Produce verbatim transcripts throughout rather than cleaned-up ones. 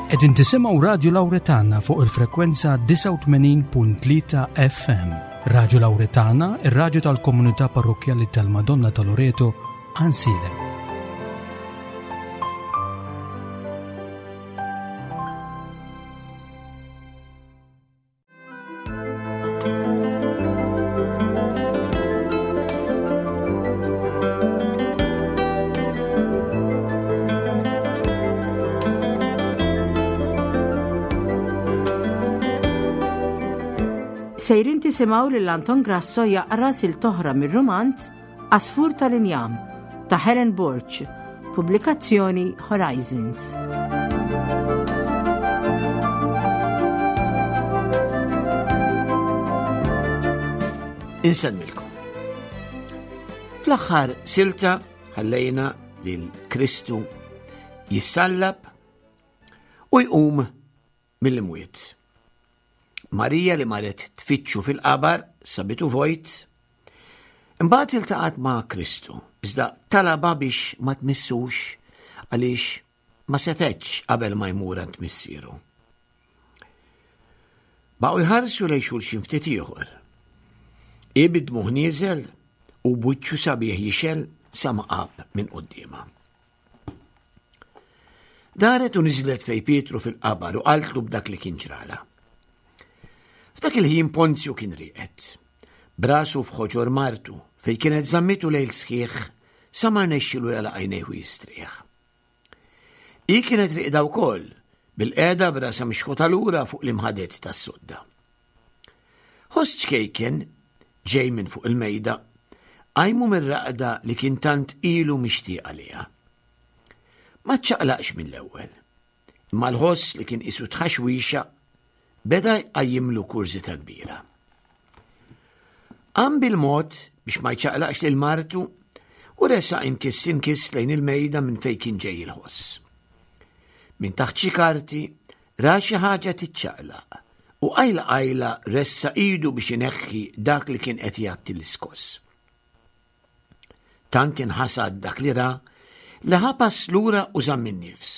Qegħdin tisimgħu Radju Lawretana fuq il-frekwenza disgħa u tmenin punt tlieta F M. Radju Lawretana, ir-radju tal-komunità parrokkjali tal-Madonna ta' Loreto, Għajnsielem. Sejrin tisimgħu lil Anton Grasso jaqra silta oħra mir-rumanz Għasfur tal-Injam ta' Helen Borg, pubblikazzjoni Horizons. Insellmilkom. Fl-aħħar silta ħallejna lil Kristu jissallab u jqum mill-imwiet. Marija li marret tfittxu fil-qabar sabitu vojt, imbagħad iltaqgħet ma' Kristu, iżda talaba biex ma tmissux għaliex ma setgħetx qabel ma jmur għand missieru. Baqgħu jħarsu lejn xulxin ftit ieħor. Ibid muħ nieżel u b'wiċċu sabiħ jixel sa ma qab minn quddiemha. Daret u niżlet fej Pietru fil-qabar u qaltlu b'dak li kien ġrala. F'dak il-ħin Ponzju kien rieqed, brasu f'ħoġor martu fej kienet żammitu lejl sħiħ sa ma rnexxilu jagħlaq għajnejh u jistrieħ. Hi kienet rieqda wkoll bil-qiegħda brasa mixħuta lura fuq l-imħadet tas-sodda. Ħoss ċkejken ġej minn fuq il-mejda qajmu mir-raqda li kien tant ilu mixtieq għaliha. Ma ċċaqlaqx mill-ewwel, imma l-ħoss li kien qisu tħaxwixa beda jqajjimlu kurżità kbira. Qam bil-mod biex ma jċaqlaqx lil martu u resaq inkiss inkiss lejn il-mejda minn fejn kien ġej il-ħoss. Minn taħt xi karti ra xi ħaġa tiċċaqlaq u qajla qajla ressa idu biex ineħħi dak li kien qed jgħatti l-iskoss. Tant inħasad dak li ra li ħapas lura u żamm in-nifs.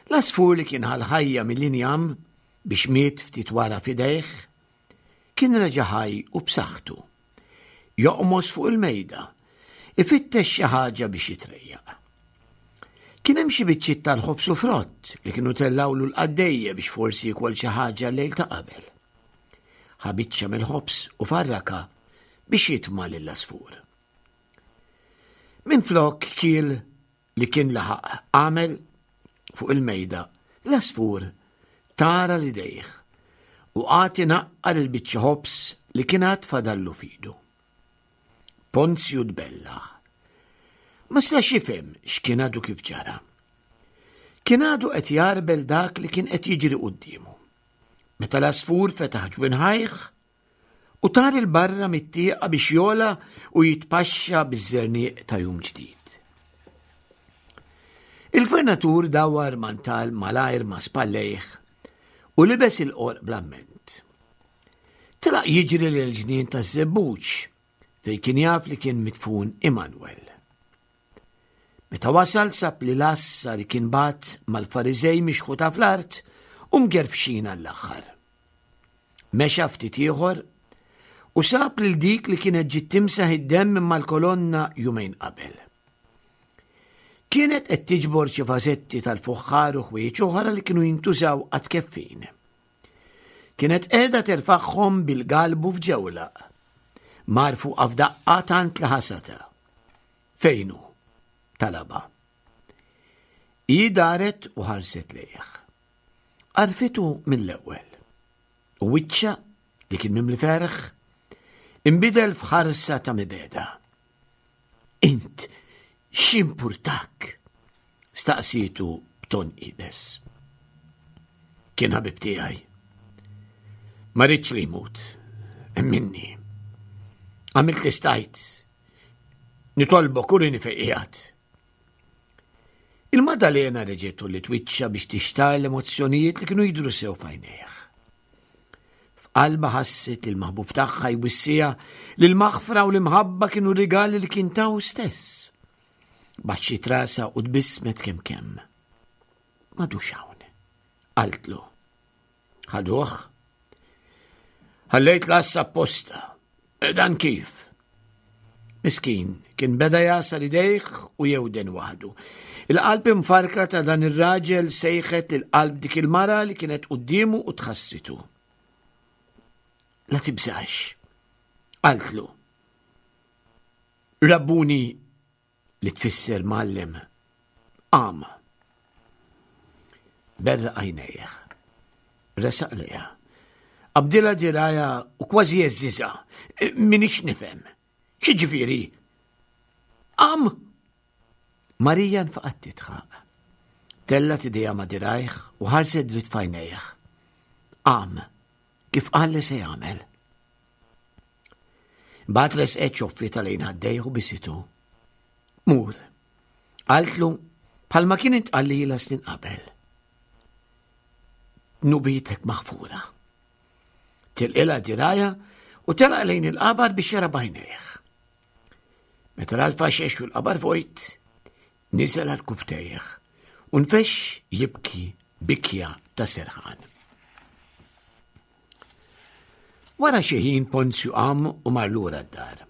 L-għasfur li kien ħal-ħajja mill-injam biex miet ftit wara fidejh, kien reġa' ħaj u b'saħħtu. Joqmos fuq il-mejda, ifittex xi ħaġa biex jitrejjaq. Kien hemm xi biċċiet tal-ħobż u frott li kienu tellawlu l-qaddejja biex forsi jkoll xi ħaġa l-lejl ta' qabel. Ħa biċċa mill-ħobż u farraka biex jitma' lill-għasfur. Minflok kiel li kien laħaq għamel fuq il-mejda, l-għasfur tara li dejh u qagħad inaqqar il-biċċa ħobż li kien għad fadallu fidu. Ponzju tbellaħ. Ma setax jifhem x'kien għadu kif ġara. Kien għadu qed jarbel dak li kien qed jiġri quddiemu. Meta l-għasfur fetaħ ġwinħajh u tar il-barra mit-tieqa biex jola u jitpaxxa biż-żerniq ta' jum ġdid. Il-gvernatur dawar mantal malajr ma' spallejh u libes il-qorq bl-amment. Telaq jiġri lil ġnien taż-żebbuġ fejn kien jaf li kien mitfun Immanuel. Meta wasal sab li l-assa li kien bat mal-Fariżej mixħuta fl-art u mgerfxin għall-aħħar. Mexa ftit ieħor u sab lil dik li kienet ġiet timsaħ id-demm minn mal-kolonna jumejn qabel. Kienet qed tiġbor xi vażetti tal-fuħħar u ħwieġ oħra li kienu jintużaw għat-keffin. Kienet qiegħda terfagħhom bil-galbu f'ġewlaq. Mar fuqha f'daqqa tant li ħasata. Fejnu? Talaba. Hi daret u ħarset lejh. Għarfitu mill-ewwel. U wiċċha li kien mimli ferħ inbidel f'ħarsa ta' mibeda. Int x'impurtak? Staqsitu b'ton iebes. Kien ħabib tiegħi. Ma rridx li jmut. Minni. Għamilt li stajt. Nitolbok urini fejn qiegħed. Il-Maddalena reġgħet li twiċċa biex tixtar l-emozzjonijiet li kienu jidhru sew f'għajnejh. F'qalba ħasset li l-maħbub tagħha jwissija li l-maħfra u l-imħabba kienu rigali li kien taw stess. Baxxiet rasha u tbissmet kemm kemm. M'għadux hawn. Qaltlu. Ħaduh. Ħallejt l-għassa apposta. Dan kif? Miskin, kien beda jagħsar idejh u jewden waħdu. Il-qalb imfarka ta' dan ir-raġel sejħet lil qalb dik il-mara li kienet quddiemu u tħassitu. La tibżax, qaltlu. Rabbuni li tfisser mgħallem. Qam. Berraq għajnejh. Resaq lejha. Qabdilha dirgħajha u kważi heżżiżha. M'iniex nifhem. X'jiġifieri? Qam! Marija nfaqgħet tidħaq. Tellgħet idejha ma' dirgħajh u ħarset dritt f'għajnejh. Qam, kif qal li se jagħmel. Mbagħad resqet xoffietha lejn ħaddejh u bisitu. Mur, qaltlu bħalma kien intqal lilha snin qabel. Dnubietek maħfura. Tilqilha dirgħajha u telaq lejn il-qabar biex jara b'għajnejh. Meta ra l-faxex u l-qabar vojt, niżel għarkupptejh u nfexx jibki bikja ta' serħan. Wara xi ħin Ponzju qam u mar lura d-dar.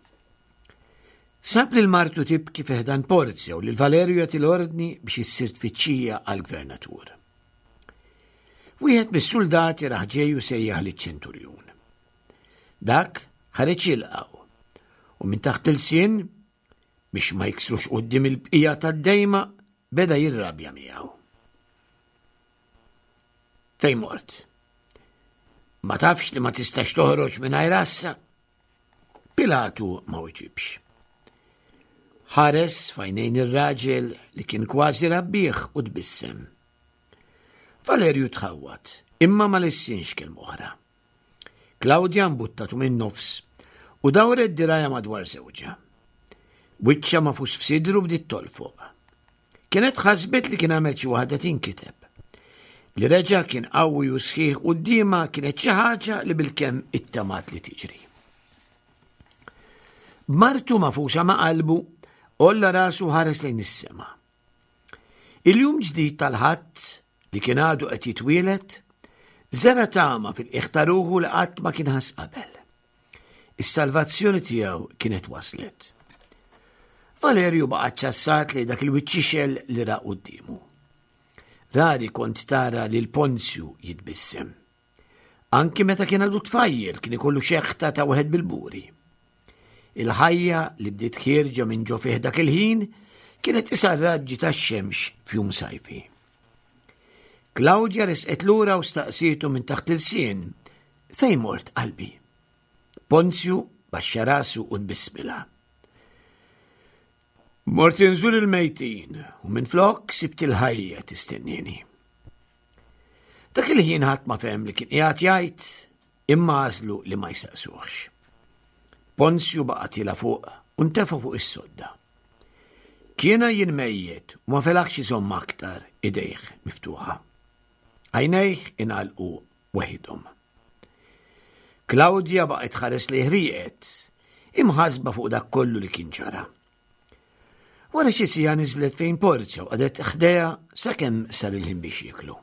Sab lil martu tibki fi ħdan Porzja u lil Valerju jagħti l-ordni biex issir tfittxija għall-gvernatur. Wieħed mis-suldati raħ ġej u sejjaħ liċ-ċenturjun. Dak ħareġ jilqgħu u minn taħt ilsien biex ma jiksrux quddiem il-bqija tad-dejma beda jirrabja miegħu. Fejn mort? Ma tafx li ma tistax toħroġ mingħajr għassa? Pilatu ma weġibx. Ħares f'għajnejn ir-raġel li kien kważi rabbih u tbissem. Valerju tħawwad, imma ma lissinx kelma oħra. Klawdja mbuttatu min-nofs u dawret dirgħajha madwar żewġha. Wiċċha magħfus f'sidru bdiet tolfoq. Kienet ħasbet li kien għamel xi waħda tinkiteb. Li reġa' kien qawwi u sħiħ quddiemha kienet xi ħaġa li bilkemm ittamat li tiġri. B'martu magħfusa ma' qalbu, għolla rasu ħares lejn is-sema. Il-jum ġdid tal-Ħadd li kien għadu qed jitwieled, żera' tama fil-qiegħ ta' ruħu li qatt ma kien ħass qabel. Is-salvazzjoni tiegħu kienet waslet. Valerju baqa' ċassat lejn dak il-wiċċ li ra quddiemu. Rari kont tara lil Ponzju jitbissem. Anki meta kien għadu tfajjel kien ikollu xeħta ta' wieħed bil-buri. Il-ħajja li bdiet ħierġa minn ġo fih dak il-ħin kienet qisha raġġi tax-xemx f'jum sajfi. Klawdja resqet lura u staqsietu minn taħt ilsien, fejn mort qalbi? Ponzju baxxa rasu u tbissmilha. Mort inżur il-mejtin u minflok sibt il-ħajja tistennini. Dak il-ħin ħadd ma fehem li kien qiegħed jgħid imma għażlu li ma jsaqsuhx. Ponzju baqa' tiela' fuq u ntefa' fuq is-sodda. Kien jien mejjet u ma felaħx iżomm aktar idejh miftuħa. Għajnejh ingħalqu weħidhom. Klawdja baqgħet tħares lejh rieqed, imħasba fuq dak kollu li kien ġara. Wara xi siegħa niżlet fejn Porzja u qagħdet ħdejha sakemm sar il-ħin biex jieklu.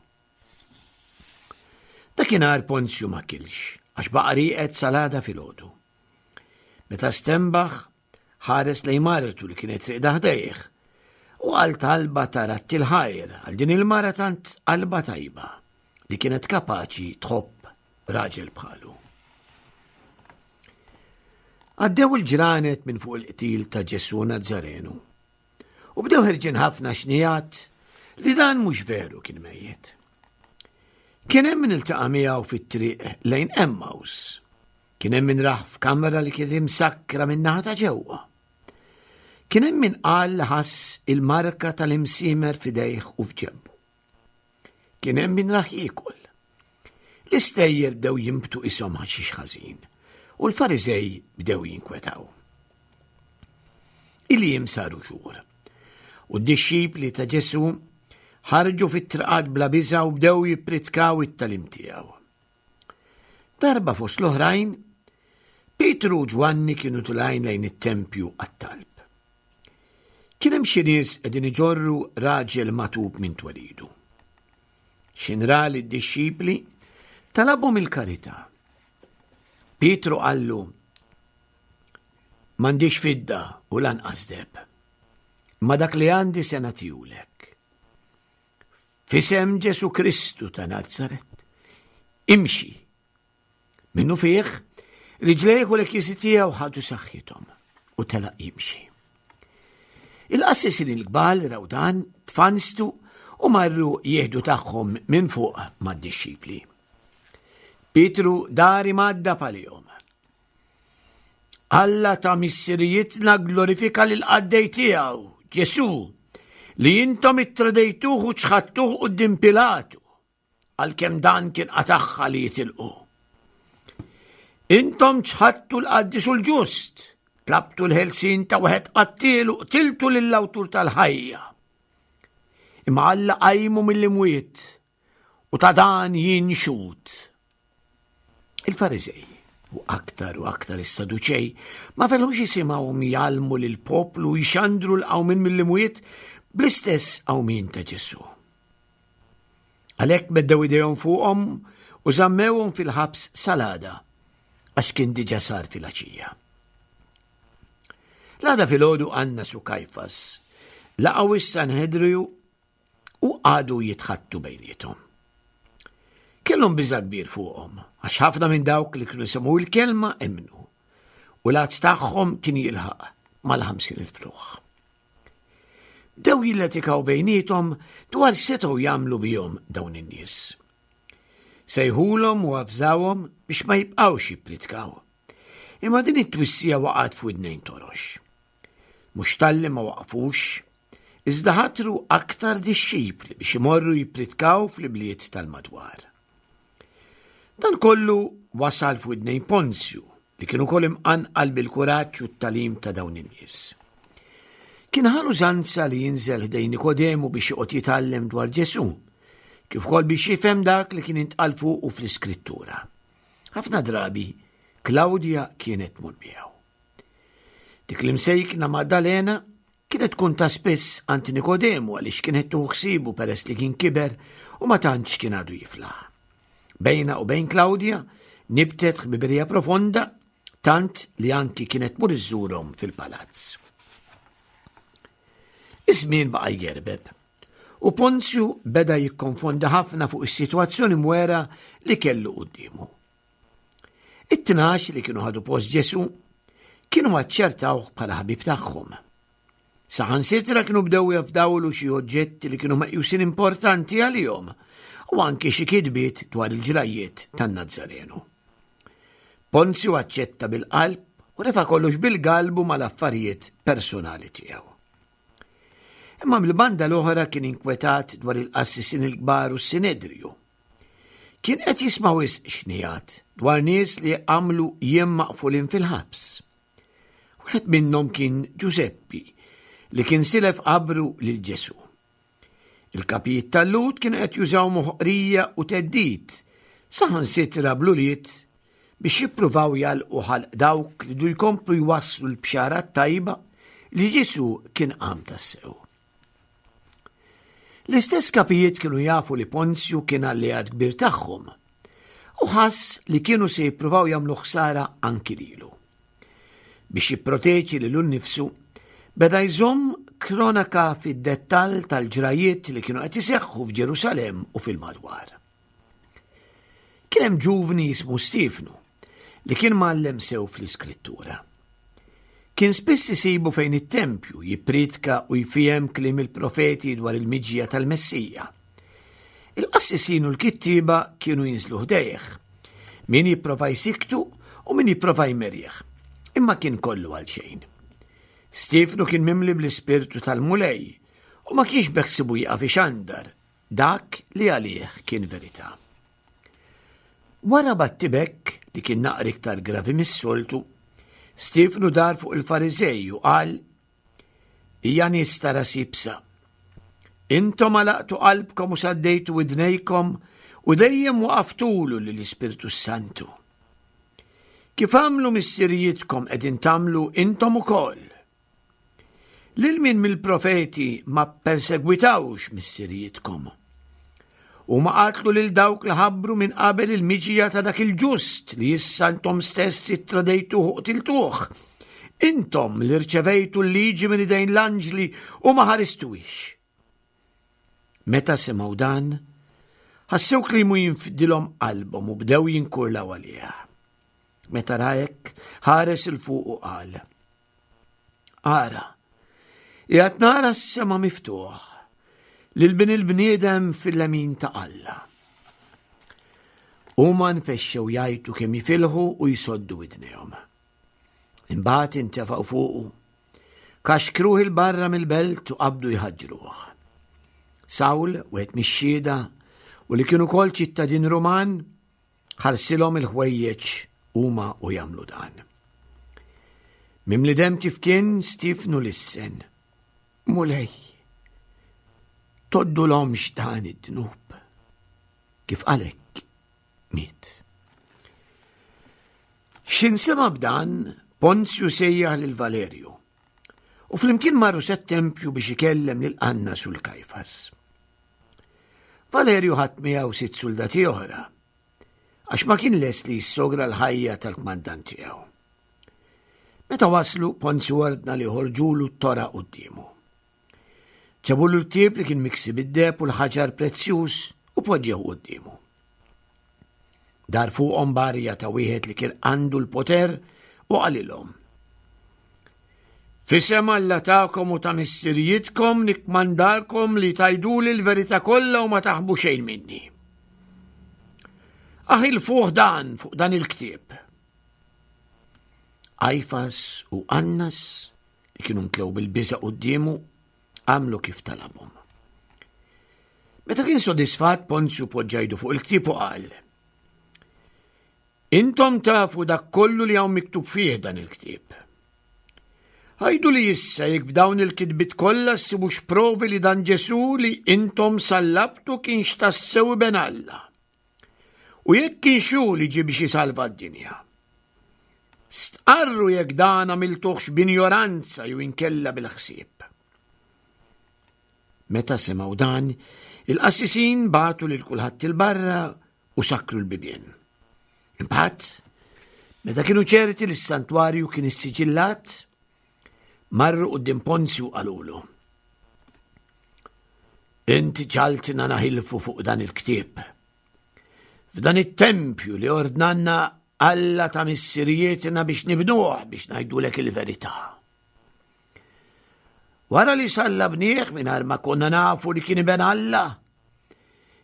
Dakinhar Ponzju ma kilx għax baqa' rieqed sal-għada filgħodu. Meta stenbaħ, ħares lejn martu li kienet rieqda ħdejh u qal talba ta' radd il-ħajr għal din il-mara tant qalba tajba li kienet kapaċi tħobb raġel bħalu. Għaddew il-ġranet minn fuq il-qtil ta' Ġesù Nazzarenu u bdew ħerġin ħafna xnijat li dan mhux veru kien mejjet. Kien hemm min iltaqa' miegħu fit-triq lejn Emmaus. Kien hemm min rah f'kamra li kien imsakkra min-naħa ta' ġewwa. Kien hemm min qal li ħass il-marka tal-imsiemer f'idejh u f'ġenbu. Kien hemm min rah jiekol. L-istejjer bdew jinbtu qishom ħaxix ħażin u l-Fariżej bdew jinkwetaw. Il-jiem saru xhur u d-dixxipli ta' Ġesù ħarġu fit-triqat bla biża' u bdew jippritkaw it-tagħlim tiegħu. Darba fost l-oħrajn, Pietru u Ġwanni kienu telgħin lejn it-tempju għat-talb. Kien hemm xi nies qegħdin iġorru raġel magħtub minn twelidu. X'ħin ra lid-dixxipli, talabhom il-karità. Pietru qallu, M'għandix fidda u lanqas deheb, imma dak li għandi se nagħtihulek. F'isem Ġesù Kristu ta' Nazaret, imxi. Minnufih, riġlejh u l-għekiesi tiegħu ħadu saħħithom u telaq jimxi. Il-qassisin il-kbar raw dan, tfanstu u marru jieħdu tagħhom minn fuq mad-dixxipli. Pietru dar imgħaddab għalihom. Alla ta' missirijietna glorifika lill-qaddej tiegħu, Ġesù, li intom ittradejtuh u ċħadtuh quddiem Pilatu, għalkemm dan kien qatagħha li jitilqu. Intom ċħadtu l-qaddis u l-ġust, tlabtu l-ħelsien ta' wieħed qattiel u qtiltu lill-awtur tal-ħajja. Imma Alla qajmu mill-imwiet u ta' dan jien xhud. Il-Fariżej u aktar u aktar is-Saduċej ma felħux jisimgħuhom jgħallmu lill-poplu jxandru l-qawmien mill-imwiet bl-istess qawmien ta' Ġesù. Għalhekk meddew idejhom fuqhom u żammewhom fil-ħabs sal-għada għax kien diġà sar filgħaxija. L-għada filgħodu Annas u Kajfas laqgħu is-Sanhedriju u qagħdu jitħaddtu bejniethom. Kellhom biża' kbir fuqhom, għax ħafna minn dawk li kienu semgħu l-kelma emmnu, u l-għadd tagħhom kien jilħaq mal-ħamsin elf ruħ. Bdew jillatikaw bejniethom dwar setgħu jagħmlu bihom dawn in-nies. Sejħulhom u avżawhom biex ma jibqgħux jippritkaw. Imma din it-twissija waqgħet f'widnejn torox. Mhux talli ma waqfux, iżda ħatru aktar dixxipli biex imorru jippritkaw fl-ibliet tal-madwar. Dan kollu wasal f'widnejn Ponzju li kien ukoll imqanqal bil-kuraġġ u t-tagħlim ta' dawn in-nies. Kien ħa l-użanza li jinżel ħdejn Nikodemu biex joqgħod jitgħallem dwar Ġesù, kif ukoll biex jifhem dak li kien intqal fuqu fl-Iskrittura. Ħafna drabi Klawdja kienet tmur miegħu. Dik l-imsejkna Maddalena kienet tkun ta' spiss għand Nikodemu għaliex kienet tieħu ħsiebu peress li kien kiber u ma tantx kien għadu jiflaħ. Bejnha u bejn Klawdja nibtet ħbiberija profonda tant li anki kienet tmur iżżurhom fil-palazz. Iż-żmien baqa' jgerbeb u Ponzju beda jikkonfonda ħafna fuq is-sitwazzjoni mwera li kellu quddiemu. It-tnax li kienu ħadu post Ġesù kienu aċċertawh bħala ħabib tagħhom. Saħansitra kienu bdew jafdawlu xi oġġetti li kienu meqjusin importanti għalihom u anki xi kitbiet dwar il-ġrajiet tan-Nazzarenu. Ponzju aċċetta bil-qalb u refa' kollox bil-galbu mal-affarijiet personali tiegħu. Imma mill-banda l-oħra kien inkwetat dwar il-qassisin il-kbar u s-Sinedriju. Kien qed jisma' wisq xnijat dwar nies li għamlu jiem maqfulin fil-ħabs. Wieħed minnhom kien Ġużeppi li kien silef qabru lil Ġesù. Il-kapijiet tal-Lhud kienu qed jużaw moħqrija u theddid, saħansitra bl-ulied biex jippruvaw jagħlqu ħalq dawk li du jkomplu jwasslu l-bxara tajba li Ġesù kien qam tassew. L-istess kapijiet kienu jafu li Ponzju kien alleat kbir tagħhom u ħass li kienu se jippruvaw jagħmlu ħsara anki lilu. Biex jipproteġi lilu nnifsu, beda jżomm kronaka fid-dettall tal-ġrajiet li kienu qed iseħħu f'Ġerusalemm u fil-madwar. Kien hemm ġuvni jismu Stiefnu li kien mgħallem sew fl-Iskrittura. Kien spiss isibu fejn it-tempju jippriedka u jfiehem kliem il-profeti dwar il-miġja tal-Messija. Il-qassisin u l-kittieba kienu jinżlu ħdejh, min jipprova jsikktu u min jipprova jmerih, imma kien kollu għal xejn. Stiefnu kien mimli bl-ispirtu tal-Mulej u ma kienx beħsibu jieqaf ixandar dak li għalih kien verità. Wara battibek li kien naqra iktar gravi mis-soltu, Stiefnu dar fuq il-Fariżej u qal: Ija nies ta' ras iebsa. Intom għalaqtu qalbkom u saddejtu widnejkom u dejjem waqaftulu lill-Ispirtu Santu. Kif għamlu missirijietkom qegħdin tagħmlu intom ukoll. Lil min mill-profeti ma persegwitawx missirijietkom. Huma qatlu lil dawk li ħabbru minn qabel il-miġija ta' dak il-ġust li issa intom stess ittradejtuh u qtiltuh. Intom li rċevejtu l-liġi minn idejn l-anġli u ma ħaristuhiex. Meta semgħu dan, ħassew kliemu jinfdilhom qalbhom u bdew jinkurlaw għalih. Meta ra hekk, ħares 'il fuq u qal: Ara, qiegħed nara s-sema miftuħ, lil bin il-bniedem fil-lemin ta' Alla. Huma nfexxew jgħajtu kemm jifilħu u jsoddu widnejhom. Imbagħad intefgħu fuqu, kaxkruh 'il barra mill-belt u qabdu jħaġġruh. Sawl, wieħed mix-xhieda, u li kien ukoll ċittadin Ruman, ħarsilhom il-ħwejjeġ huma u jagħmlu dan. Mimli dem kif kien, Stiefnu lissen: Mulej, tgħoddulhomx dan id-dnub. Kif qal hekk, miet. X'ħin sema' b'dan, Ponzju sejjaħ lil Valerju u flimkien marru sat-tempju biex ikellem lil Annas u l-Kajfas. Valerju ħadd miegħu sitt soldati oħra, għax ma kien lest li jissogra l-ħajja tal-kmandant tiegħu. Meta waslu, Ponzju ordna li joħorġulu t-tora quddiemu. Ġabulu l-ktieb li kien miksi bid-deheb u l-ħaġar prezzjuż u poġġew quddiemu. Dar fuqhom b'arja ta' wieħed li kien għandu l-poter u qalilhom: F'isem Alla tagħkom u ta' missirijietkom nikkmandalkom li tgħiduli l-verità kollha u ma taħbu xejn minni. Aħilfuh dan fuq dan il-ktieb. Kajfas u Annas, li kienu mtlew bil-biża' quddiemu, għamlu kif talabhom. Meta kien sodisfat, Ponzju poġġa idu fuq il-ktieb u qal: Intom tafu dak kollu li hawn miktub fih dan il-ktieb. Għiduli issa jekk f'dawn il-kitbiet kollha ssibux provi li dan Ġesu li intom sallabtu kienx tassew Iben Alla. U jekk kienx hu li ġie biex jisalva d-dinja. Stqarru jekk dan għamiltuhx b'injoranza jew inkella bil-ħsieb. Meta semgħu dan, il-qassisin bagħtu lil kulħadd 'il barra u sakkru l-bibien. Imbagħad, meta kienu ċerti li s-santwarju kien issiġillat, marru quddiem Ponzju qalulu: Inti ġagħaltna naħilfu fuq dan il-ktieb. F'dan it-tempju li ordnanna Alla ta' missirijietna biex nibnuh biex ngħidulek il-verità. Wara li sallabnieh mingħajr ma konna nafu li kien Iben Alla,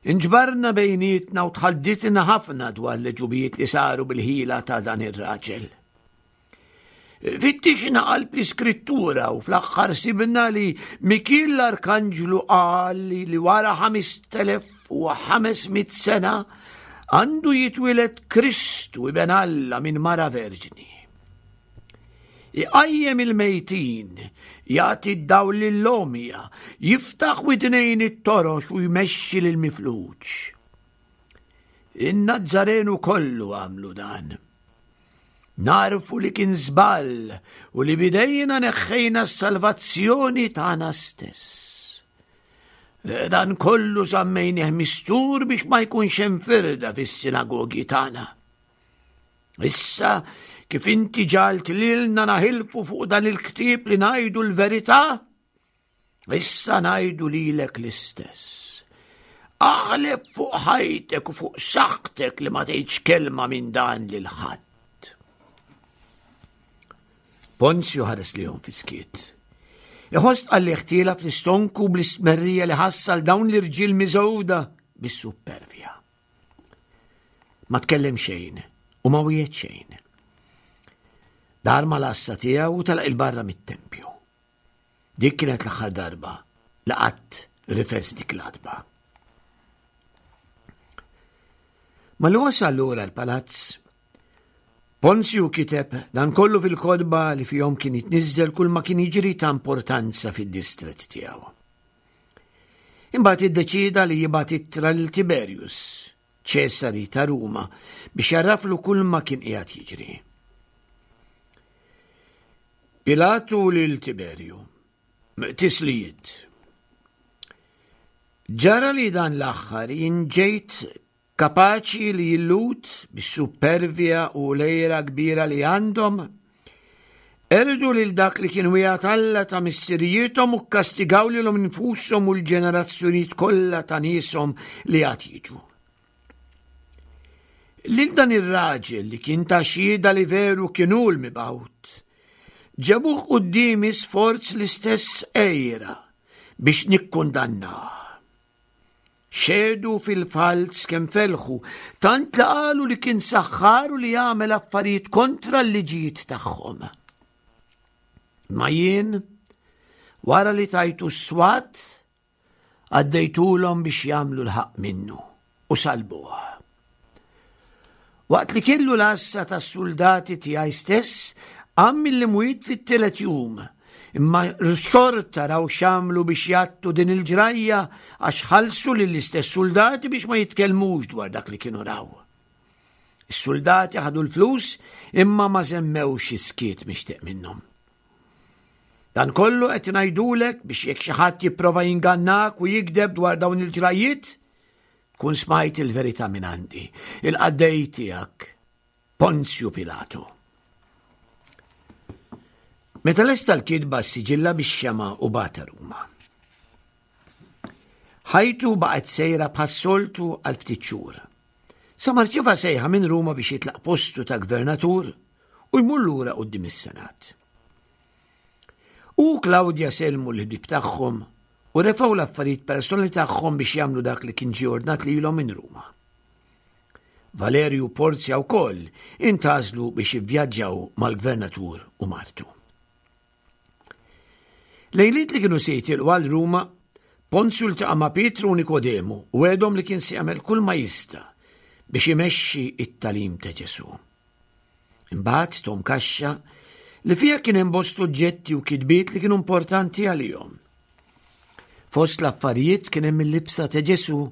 inġbarna bejnietna u tħadditna ħafna dwar l-għeġubijiet li saru bil-ħila ta' dan ir-raġel. Fittixna qalb l-iskrittura u fl-aħħar sibna li Mikiel l-Arkanġlu qal li wara ħamest elef u ħames mitt sena għandu jitwieled Kristu Iben Alla minn mara verġni. Iqajjem il-mejtin, jagħti d-dawl lill-għomja, jiftaħ widnejn it-torox u jmexxi lill-mifluġ. In-Nazzarenu kollu għamlu dan. Narfu li kien żball u li bidejna neħħejna s-salvazzjoni tagħna stess. Dan kollu żammejnieh mistur biex ma jkunx hemm firda fis-sinagogi tagħna. Issa, kif inti ġagħalt lilna naħilfu fuq dan il-ktieb li ngħidu l-verità, issa ngħidu lilek l-istess. Aħlef fuq ħajtek u fuq saħħtek li ma tgħidx kelma minn dan lil ħadd. Ponzju ħares lejhom fis-skiet. Iħoss tqallih tiela' fl-istonku bl-istmerrija li ħass għal dawn l-irġiel miżgħuda bis-supervja. Ma tkellem xejn u ma wiegħed xejn. Dar mal-għassa tiegħu u telaq 'il barra mit-tempju. Dik kienet l-aħħar darba li qatt rifes dik l-għatba. Malli wasal lura l-palazz, Ponzju kiteb dan kollu fil-kotba li fihom kien jitniżżel kull ma kien jiġri ta' importanza fid-distrett tiegħu. Imbagħad iddeċieda li jibgħat ittra lil Tiberius, Ċesari ta' Ruma, biex jarraflu kull ma kien qiegħed jiġri. Pilatu lil Tiberju, tislijiet. Ġara li dan l-aħħar jien ġejt kapaċi li l-Lhud bis-supervja u l-għira kbira li għandhom qerdu lil dak li kien wiegħed Alla ta' missirijiethom u kkastigaw lilhom infushom u l-ġenerazzjonijiet kollha ta' nieshom li għad jiġu. Lil dan ir-raġel li kien ta xhieda li veru kien hu l-mibgħut, ġabuh quddiemi sforz l-istess għira biex nikkundannah. Xehdu fil-falz kemm felħu, tant li qalu li kien saħħar u li jagħmel affarijiet kontra l-liġijiet tagħhom. Ma jien, wara li tajtu s-swat, għaddejtulhom biex jagħmlu l-ħaqq minnu u salbuh. Waqt li kellu l-għassa tas-suldati tiegħi stess, qam mill-imwiet fit-tielet jum, imma xorta raw x'għamlu biex jgħattu din il-ġrajja għax ħallsu lill-istess suldati biex ma jitkellmux dwar dak li kienu raw. Is-suldati ħadu l-flus imma ma żemmewx is-skiet mixtieq minnhom. Dan kollu qed ngħidulek biex jekk xi ħadd jipprova jingannak u jigdeb dwar dawn il-ġrajjiet, tkun smajt il-verità minn għandi, il-qaddej tiegħek, Ponzju Pilatu. Meta lesta l-kitba ssiġilla bix-xema' u bagħatha Ruma. Ħajtu baqgħet sejra bħas-soltu għal ftit xhur. Sa ma rċieva sejħa minn Ruma biex jitlaq postu ta' gvernatur u jmur lura quddiem is-Senat. U Klawdja sellmu l-ħbieb tagħhom u refgħu l-affarijiet personali tagħhom biex jagħmlu dak li kien ġie ordnat lilhom minn Ruma. Valerju Porzja wkoll intgħażlu biex jivvjaġġaw mal-gvernatur u martu. Lejliet li kienu se jitilqu għal Ruma, Ponzju ltaqa' ma' Pietru u Nikodemu u wegħedhom li kien se jagħmel kull ma jista' biex imexxi it-tagħlim ta' Ġesù. Imbagħad tahom kaxxa li fiha kien hemm bost oġġetti u kitbiet li kienu importanti għalihom. Fost l-affarijiet kien hemm il-libsa ta' Ġesù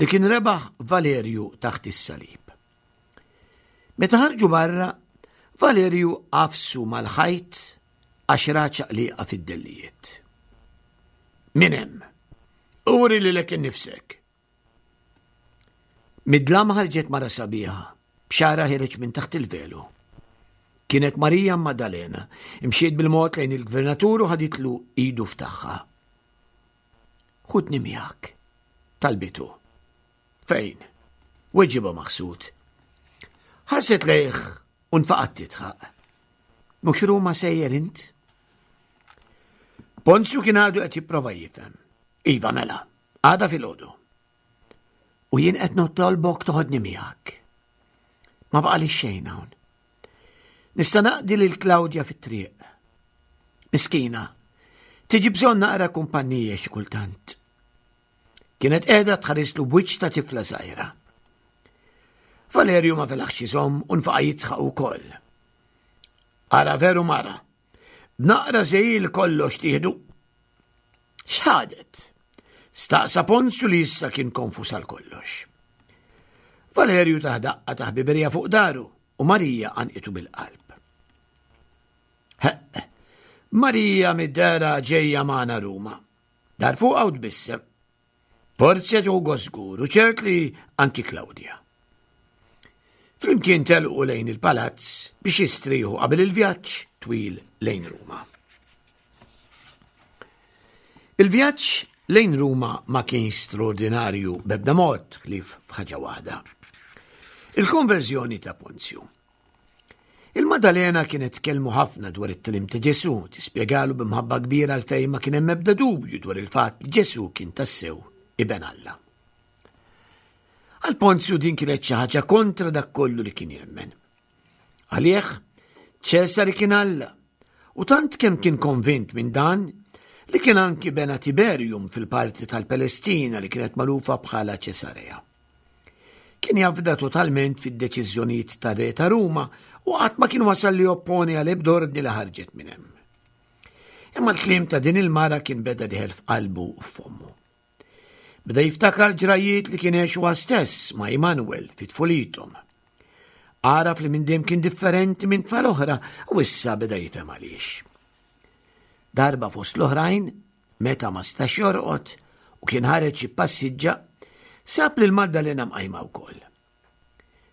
li kien rebaħ Valerju taħt is-salib. Meta ħarġu barra, Valerju għafsu mal-ħajt għax ra ċaqliqa fid-dellijiet. Min hemm? Uri lilek innifsek. Mid-dlam ħarġet mara sabiħa, b'xagħarha ħiereġ minn taħt il-velu. Kienet Marija Maddalena, imxiet bil-mod lejn il-gvernatur u ħaditlu idu f'tagħha. Ħudni miegħek, talbitu. Fejn? Weġibha maħsud. Ħarset lejh u nfaqgħet tidħaq. Mhux Ruma sejjer int? Ponzju kien għadu qed jipprova jifhem. Iva mela, għada filgħodu. U jien qed nitolbok toħodni miegħek. Ma baqali xejn hawn. Nista' naqdi lil Klawdja fit-triq. Miskina, tiġi bżonn naqra kumpanija xi kultant. Kienet qiegħda tħarislu b'wiċċ ta' tifla żgħira. Valerju ma felaħx iżomm u nfaqa' jidħaq ukoll. Ara veru mara, b'naqra żegħil kollox tieħdu. X'ħadet? Staqsa Ponzju li issa kien konfus għal kollox. Valerju tah daqqa ta' ħbiberija fuq dahru u Marija għannqitu bil-qalb. Heq, Marija mid-dehra ġejja magħna Ruma. Dar fuqha u tbissem. Porzja tieħu żgur u ċert li anki Klawdja. Flimkien telqu lejn il-palazz biex jistrieħu qabel il-vjaġġ twil lejn Ruma. Il-vjaġġ lejn Ruma ma kienx straordinarju b'ebda mod ħlief f'ħaġa waħda. Il-konverżjoni ta' Ponzju. Il-Maddalena kienet tkellmu ħafna dwar it-tagħlim ta' Ġesù, tispjegalu b'imħabba kbira għalfejn ma kien hemm ebda dubju dwar il-fatt li Ġesù kien tassew iben Alla. Għal Ponzju din kienet xi ħaġa kontra dak kollu li kien jemmen. Għalih, Ċesari kien Alla, u tant kemm kien konvint minn dan li kien anki bena Tiberium fil-parti tal-Palestina li kienet magħrufa bħala Ċesarea. Kien jafda totalment fid-deċiżjonijiet ta' re ta' Ruma u qatt ma kien wasal li opponi għal ebda ordni li ħarġet minn hemm. Imma l-kliem ta' din il-mara kien beda dieħel f'qalbu u f'fommu. Beda jiftakar ġrajiet li kien għex huwa stess ma' Immanuel fi tfulithom. Għaraf li minn dejjem kien differenti minn tfal oħra u issa beda jifhem għaliex. Darba fost l-oħrajn, meta ma stax jorqod, u kien ħareġ jippassiġġa, sab lil Maddalena mqajma wkoll.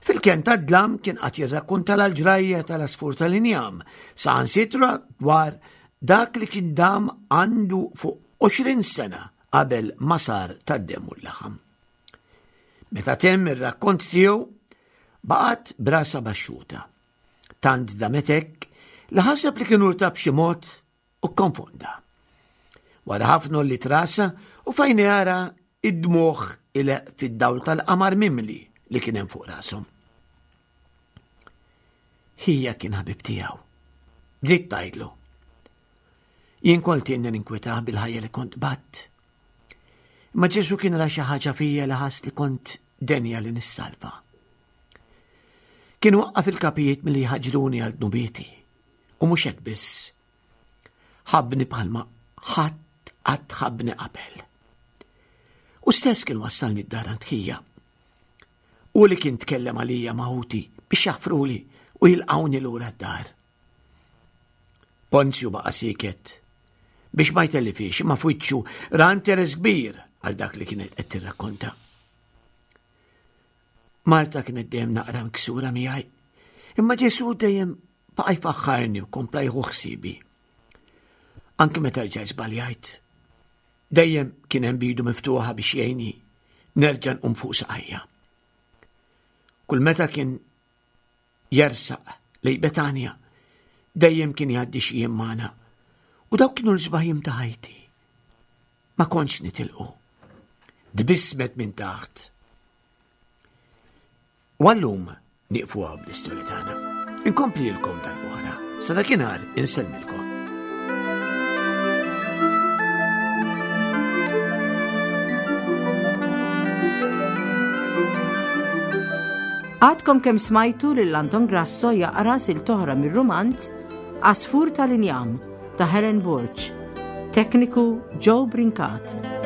Fil-kenn tad-dlam kien qagħad jirrakkuntalha l-ġrajja tal-għasfur tal-injam, saħansitra dwar dak li kien dam għandu fuq għoxrin sena qabel ma sar tad-demm u l-laħam. Meta temm ir-rakkont tiegħu, baqgħet brasa baxxuta. Tant damet hekk li ħaseb li kien urta b'xi mod u kkonfonda. Wara ħafna għolliet rasha u fejn jara id-dmugħ ileqq fid-dawl tal-qamar mimli li kien hemm fuq rashom. Ħija kien ħabib tiegħu. Bdiet tgħidlu. Jien kont inni ninkwetah bil-ħajja li kont batt. Imma Ġesu kien ra xi ħaġa fija li ħass li kont denja li nissalva. Kien waqqaf il-kapijiet milli jħaġruni għal dnubieti. U mhux hekk biss. Ħabbni bħalma ħadd qatt ħabbni qabel. U stess kien wassalni d-dar għand ħija. U li kien tkellem għalija ma' ħuti biex jaħfruli u jilqawni lura d-dar. Ponzju baqa' sieket biex ma jtellifhiex, imma f'wiċċu ra interess kbir għal dak li kienet qed tirrakkonta. Marta kienet dejjem naqra miksura miegħi, imma Ġesu dejjem baqa' jfaħħarni u kompla jieħu ħsiebi. Anki meta rġajt żbaljajt, dejjem kien hemm b'idu miftuħa biex jgħinni nerġa' nqum fuq saqajja. Kull meta kien jersaq lejn Betanja, dejjem kien jgħaddi xi jiem magħna. U dawk kienu l-isbaħ jiem ta' ħajti. Ma kontx nitilqu. Tbissmet minn taħt. U għallum nieqfu hawn bl-istorja tagħna. Inkomplilkom darb'oħra. Sa dakinhar insellmilkom. Għadkom kemm smajtu lil Anton Grasso jaqra silta oħra mir-rumanz Għasfur tal-Injam ta' Helen Borg. Tekniku Joe Brincat.